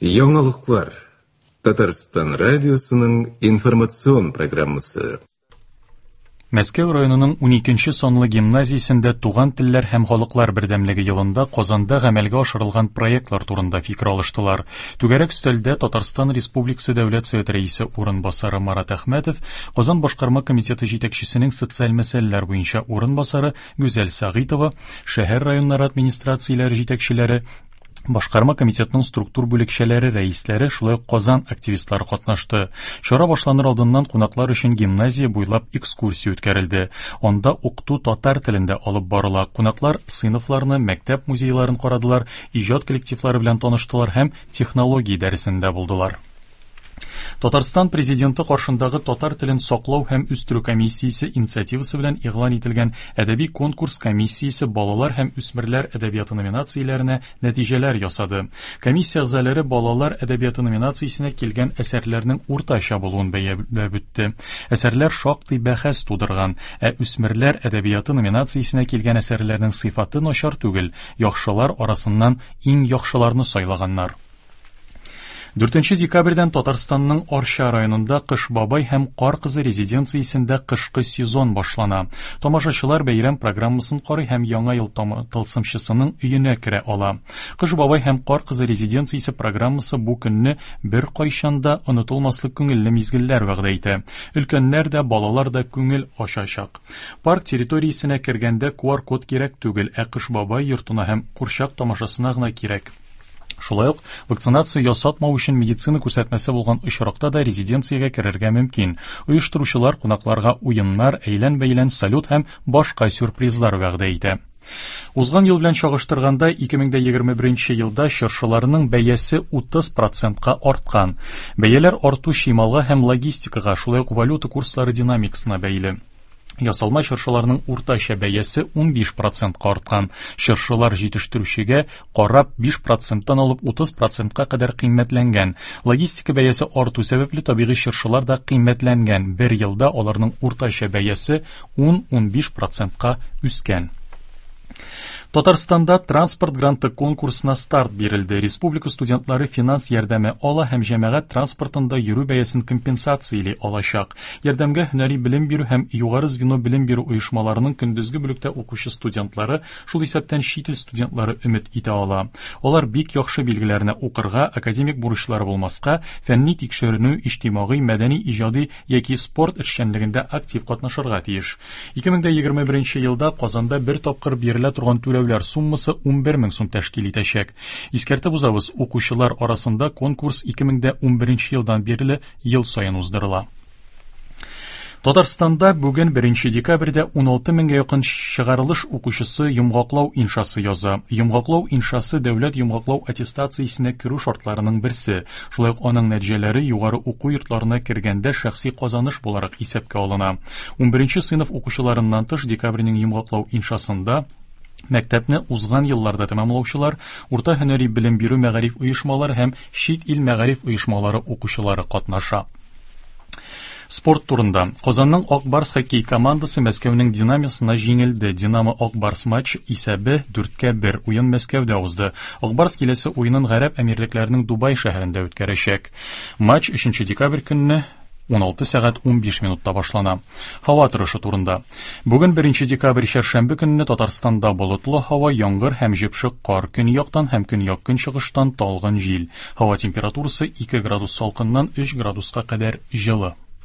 Яңалыклар. Татарстан радиосының информацион программасы. Мәскәү районының 12 санлы гимназиясендә Туган телләр һәм халыклар бердәмлеге елында Казанда гамәлгә ашырылган проектлар турында фикер алыштылар. Түгәрәк өстәлдә Татарстан Республикасы Дәүләт Советы Рәисе урынбасары Марат Әхмәтов, Казан башкарма комитеты җитәкчесенең социаль мәсьәләләр буенча урынбасары Гүзәл Сәгыйтова, шәһәр районнары администрацияләре җитәкчеләре, Башкарма комитетның структур бүлекчәләре рәисләре, шулай ук Казан активистлары катнашты. Чара башланыр алдыннан кунаклар өчен гимназия буйлап экскурсия үткәрелде. Анда укыту татар телендә алып барыла. Кунаклар сыйныфларны, мәктәп музейларын карадылар, иҗат коллективлары белән таныштылар һәм технология дәресендә булдылар. Татарстан Президенты каршындагы татар телен саклау һәм үстерү комиссиясе инициативасы белән игълан ителгән әдәби конкурс комиссиясе балалар һәм үсмерләр әдәбияты номинацияләренә нәтиҗәләр ясады. Комиссия әгъзалары балалар әдәбияты номинациясенә килгән әсәрләрнең уртача булуын бәяләп үтте. Әсәрләр шактый бәхәс тудырган, ә үсмерләр әдәбияты номинациясенә килгән әсәрләрнең сыйфаты начар түгел, яхшылар арасыннан иң яхшыларны сайлаганнар. 4 декабрьдән Татарстанның Арча районында Кыш бабай һәм Кар кызы резиденциясендә кышкы сезон башлана. Тамашачылар бәйрәм программасын карый һәм Яңа ел тылсымчысының өенә керә ала. Кыш бабай һәм Кар кызы резиденциясе программасы бу көнне беркайчан да онытылмаслык күңелле мизгелләр вәгъдә итә. Өлкәннәр дә, балалар да күңел ачачак. Парк территориясенә кергәндә QR-код кирәк түгел, ә Кыш бабай йортына һәм курчак тамашасына гына кирәк. Шулай ук вакцинация ясатмау өчен медицина күрсәтмәсе булган очракта да резиденциягә керергә мөмкин. Оештыручылар кунакларга уеннар, әйлән-бәйлән, салют һәм башка сюрпризлар вәгъдә итә. Узган ел белән чагыштырганда 2021 елда чыршыларның бәясе 30 процентка арткан. Бәяләр арту чималга һәм логистикага, шулай ук валюта курслары динамикасына бәйле. Ясалма чыршыларның уртача бәясе 15 процентка арткан. Чыршылар җитештерүчегә карап 5 проценттан алып 30 процентка кадәр кыйммәтләнгән. Логистика бәясе арту сәбәпле табигый чыршылар да кыйммәтләнгән. Бер елда аларның уртача бәясе 10-15 процентка үскән. Татарстанда транспорт гранты конкурсына старт бирелде. Республика студентлары финанс ярдәме ала һәм җәмәгать транспортында йөрү бәясен компенсацияли алачак. Ярдәмгә һөнәри белем бирү һәм югары звено белем бирү оешмаларының көндезге бүлектә укучы студентлары, шул исәптән чит ил студентлары өмет итә ала. Алар бик яхшы билгеләренә укырга, академик бурычлары булмаска, фәнни тикшеренү, иҗтимагый, мәдәни, иҗади яки спорт эшчәнлегендә актив катнашырга тиеш. 2021 елда Казанда бер тапкыр бирелә торган түләүләр суммасы 11 мең сум тәшкил итәчәк. Искәртеп узабыз, укучылар арасында конкурс 2011 елдан бирле ел саен уздырыла. Татарстанда бүген 1 декабрьдә 16 меңгә якын чыгарылыш укучысы йомгаклау иншасы яза. Йомгаклау иншасы дәүләт йомгаклау аттестациясенә керү шартларының берсе. Шулай ук аның нәтиҗәләре югары уку йортларына кергәндә шәхси казаныш буларак исәпкә алына. 11 сыйныф укучыларыннан тыш декабрьнең йомгаклау иншасында мәктәпне узган елларда тәмамлаучылар, урта һөнәри белем бирү мәгариф оешмалары һәм чит ил мәгариф оешмалары укучылары катнаша. Спорт турында. Казанның Ак Барс хоккей командасы Мәскәүнең Динамосына җиңелде. Динамо Ак Барс матч исәбе 4-1. Уен Мәскәүдә узды. Ак Барс киләсе уенын Гарәп Әмирлекләренең Дубай шәһәрендә үткәрәчәк. Матч 3 декабрь көнне 16 сәгать 15 минутта башлана. Һава торышы турында. Бүген 1 декабрь чәршәмбе көнне Татарстанда болытлы һава, яңгыр һәм җепшек кар, көньяктан һәм көньяк-көнчыгыштан талгын җил. Һава температурасы 2 градус салкыннан 3 градуска кадәр җылы.